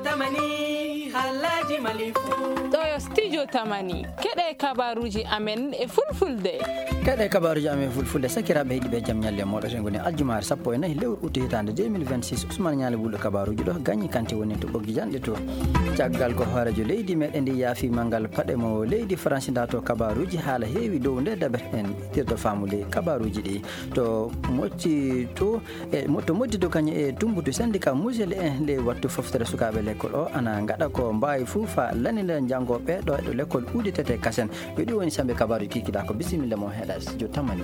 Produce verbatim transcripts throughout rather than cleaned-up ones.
Tamani, haalaaji Mali fuu. Ɗo yo Studio Tamani. Keɗe kabaruuji amen e Fulfulde. Keɗe kabaruuji amen e Fulfulde. Sakiraaɓe heɗiiɓe, jam ñalle mooɗon. Ngoni aljumaare sappo e nayi lewru utu hitaande deux mille vingt-six. Ousmane Ñaali Wulɗo kabaruuji ɗo, Gañi Kanti woni to ɓoggi janɗe to. Caggal ko hooreejo leydi meɗen ndi yaafi manngal paɗe mo leydi Faransi nda to kabaruuji haala heewi dow nde daɓere en ƴirɗo faamu ley kabaruuji ɗi. To moƴƴi to E mo-, to moƴƴi to kañum e tumbutu syndicat musel en ley wattu foftere sukaaɓe lekkol o ana ngaɗa ko mbaawi fuu fa lanina janngooɓe ɗo e ɗo lekkol uditete kasen. Yo ɗi woni sambe kabaaruji kikiɗa ko bisimilla mo heɗa studio Tamani.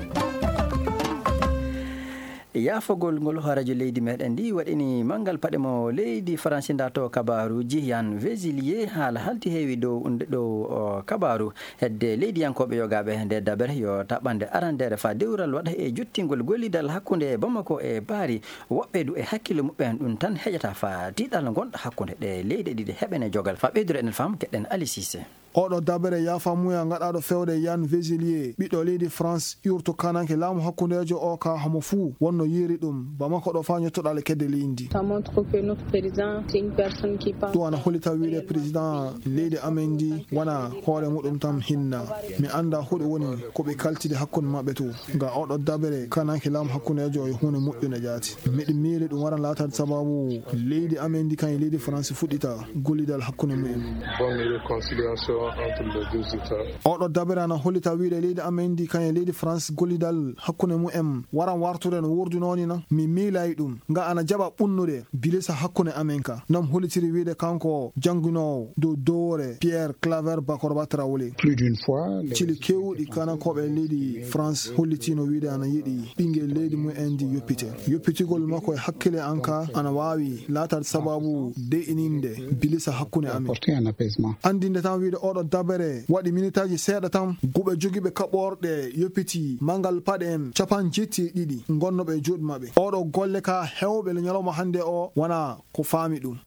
Yaafagol ngol hooreejo leydi meɗen ndi waɗini manngal paɗe mo leydi Faransi nda to kabaaruji Yan Vesilier haala halti heewi dow nde ɗo o kabaaru. Hedde leydiyankooɓe yogaaɓe nde dabere yo taɓɓande arandeere faa dewral waɗa e jottingol gollidal hakkunde Bamako e Paris. Woɓɓe du e hakkille muɓɓen ɗum tan heƴata faa tiiɗal ngonɗo hakkunde ɗe leyɗe ɗiɗi heɓene jogal. Faa ɓeydude enen faamu keɗen Ali Cissé. Oɗo dabere yaafamuya ngaɗaaɗo fewde Yan Vesilier, ɓiɗɗo leydi France, iwrto kananke laamu hakkundeejo o ka hamo fuu wonno yiiri ɗum. Bamako ɗo faa ñottoɗaa le kedde leydi. Ça montre que notre président, c'est une personne qui pense. Ɗum ana hollita wiide président leydi amen ndi wona hoore muɗum tan hinna. Mi annda hoɗum woni ko ɓe kaltide hakkunde maɓɓe to. Nga oɗo dabere kananke laamu hakkundeejo e huunde moƴƴunde jaati. Miɗo miili ɗum waran laataade sababu leydi amen ndi kañum leydi France fuɗɗita gollidal hakkunde mumen. Bonne réconciliation entre les deux États. Oɗo dabere ana hollita wiide leydi amen ndi kañum leydi France gollidal hakkunde mumen waran wartude no wurduno ni na. Mi miilay ɗum. Nga ana jaɓa ɓunnude bilisa hakkunde amen ka. Nam hollitiri wiide kanko jannginoowo dow dowore Pierre Claver Bakorba Traoré. Plus d'une fois, les Cili keewɗi kanankooɓe leydi France hollitino wiide ana yiɗi ɓinngel leydi mumen ndi yoppite. Yoppitigol makko e hakkille an ka ana waawi laataade sababu de'ininde bilisa hakkunde amen. Apporter un apaisement. Anndinde tan wiide oɗo dabere waɗi minitaaji seeɗa tan guɓe jogiiɓe kaɓorɗe yoppiti manngal paɗe en capan jetti e ɗiɗi ngonnoɓe e juuɗe maɓɓe. Oɗo golle ka heewɓe le ñalawma hannde o wona ko faami ɗum.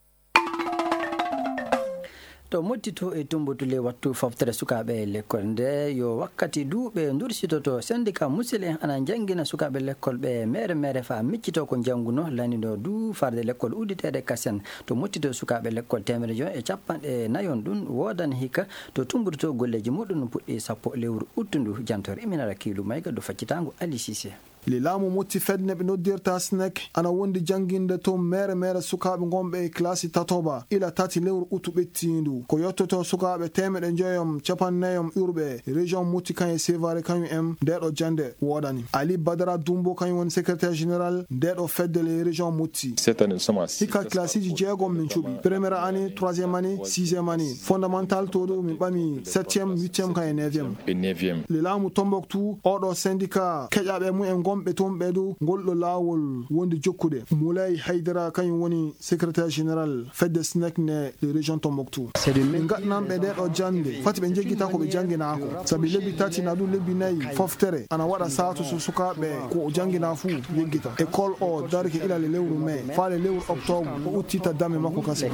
To moƴƴi to e tumbutu ley wattu foftere sukaaɓe lekkol nde yo wakkati duuɓe ndursitoto syndicat musil en ana njanngina sukaaɓe lekkol ɓe mere mere faa miccito ko njannguno lanino du farde lekkol udditeede kasen. To moƴƴi to sukaaɓe lekkol teemedere joy e capanɗe nayon ɗum woodani hikka to tumbutu to golleeji muɗum puɗɗi sappo lewru uttundu jantor iminara kiilu mayga do faccitaango Ali Cissé. Le laamu motti fedde ɓe noddirta SNEC ana wondi jannginde to mere mere sukaaɓe ngonɓe e classe tatoba ila tati lewru utu ɓettiindu. Ko yottoto sukaaɓe teemeɗe njoyom capannayom urɓe région motti kañum e Sévaré kañum en ndeɗo jannde woodani. Ali Badara Dumbo kañum woni secrétaire général ndeɗo fedde le région motti. Cette année, nous sommes à six Hikka classes. Classeji jeegom min cuɓi. Première année, troisième année, sixième année. Fondamental to ɗo min ɓami septième, huitième kañum e neuvième. Et neuvième. Le laamu Tombouctou, oɗo syndicat keƴaɓe mumen gonɓe toon ɓe du, ngol ɗo laawol wondi jokkude. Moulay Haydara kañum woni secrétaire général fedde SNEC nde le région Tombouctou. Min ngaɗnanɓe nde ɗo jannde, fati ɓe njeggita ko ɓe jannginaako. Sabi lebbi tati na ɗum lebbi nayi foftere, ana waɗa saatu so sukaaɓe ko o janngina fuu yeggita. École o darike ila le lewru mai, faa le lewru octobre, o uddita dame makko kase.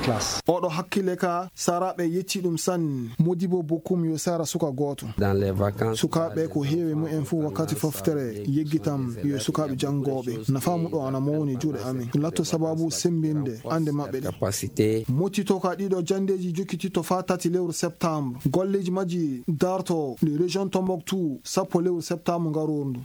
Oɗo hakkille ka, saraaɓe yetti ɗum sanne. Modibo Bokum yo sara suka gooto. Dans les vacances, sukaaɓe ko heewi mumen fuu wakkati foftere yeggitam yo sukaaɓe janngooɓe. Nafaamu ɗo ana mawni juuɗe amen. Latto sababu semmbinde annde maɓɓe ɗe. Capacité. Mottito ka ɗiɗo janndeeji jokkititto faa tati lewru septembre. Golleeji majji darto le région Tombouctou sappo lewru septembre ngarooru ndu.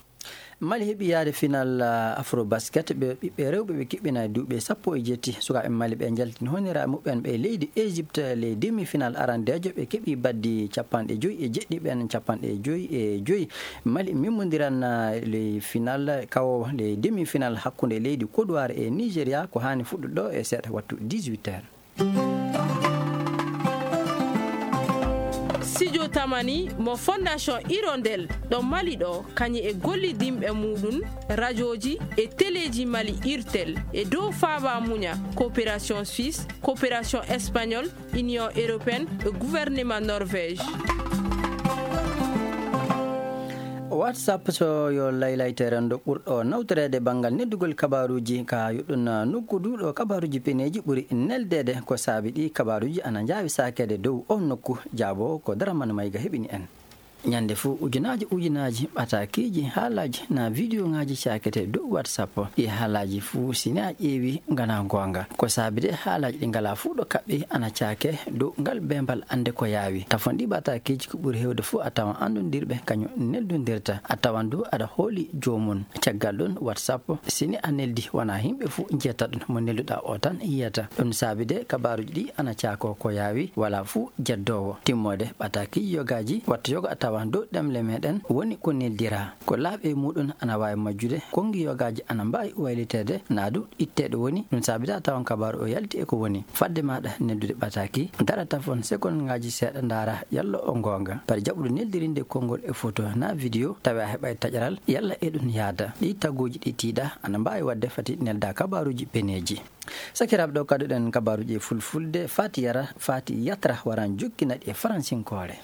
Mali heɓi yaade final, ah, Afrobasket, ɓe ɓiɓɓe rewɓe ɓe kiɓɓina e duuɓi sappo e jetti. Sukaaɓe Mali ɓe njaltini honira muɓɓen ɓe leydi Égypte, les demi-final arandeejo, ɓe keɓi baddi capanɗe joy e jeɗɗi ɓen capanɗe joy e joy. Mali mimmondiran, ah, les final kawo, les demi-final hakkunde leydi Côte d'Ivoire e Nigeria ko haani fuɗɗude ɗo e seeɗa wattu dix-huit heures. Studio Tamani mo Fondation Hirondelle ɗo Mali ɗo, kañum e gollidinɓe muɗum, rajooji e teleeji Mali, Irtel, e dow faaba muña, Coopération Suisse, Coopération Espagnole, Union Européenne e gouvernement Norvège. WhatsApp so yo laylayte renndo ɓurɗo nawtoreede banngal neddugol kabaaruuji ka yuɗɗun nokku du ɗo kabaaruuji peneeji ɓuri neldeede. Ko saabi ɗi kabaaruuji ana njaawi saakeede dow on nokku? Jaabo ko Daraman Mayga heɓini en. Ñande fuu, ujunaaji ujunaaji ɓataakiiji haalaaji naa vidiyooŋaaji caakete dow WhatsApp. Ɗi haalaaji fuu, si ne a ƴeewi, nganaa goonga. Ko saabi de, haalaaji ɗi ngalaa fuu ɗo kaɓɓi ana caake dow ngal beembal annde ko yaawi. Tafon ɗi ɓataakiiji, ko ɓuri heewde fuu a tawan anndondirɓe kañum neldondirta. A tawan du aɗa hooli joomum. Caggal ɗum, WhatsApp, si ni a neldi, wonaa yimɓe fuu njiyata ɗum. Mo nelduɗaa o tan yiyata. Ɗum saabi de, kabaaruuji ɗi ana caakoo ko yaawi, walaa fuu jeddoowo. Timmoode ɓataakiiji yogaaji, wattu yoga a tawan dow ɗemle meeɗen woni ko neldiraa. Ko laaɓi e muuɗum ana waawi majjude, konngi yogaaji ana mbaawi wayliteede, naa du itteede woni. Ɗum saabi de a tawan kabaaru o yalti e ko woni. Fadde maaɗa neldude ɓataaki, dara tafon sekondŋaaji seeɗa, ndaara yalla o goonga. Bari jaɓuɗo neldirinde konngol e foto naa video, tawi a heɓaay taƴaral, yalla e ɗum yaada. Ɗi taguuji ɗi tiiɗa ana mbaawi waɗde fati nelda kabaaruuji peneeji. Sakiraaɓe, ɗo kadduɗen kabaaruuji e fulfulde, Faati Yara, Faati Yatra waran jokkina ɗi e faransinkoore.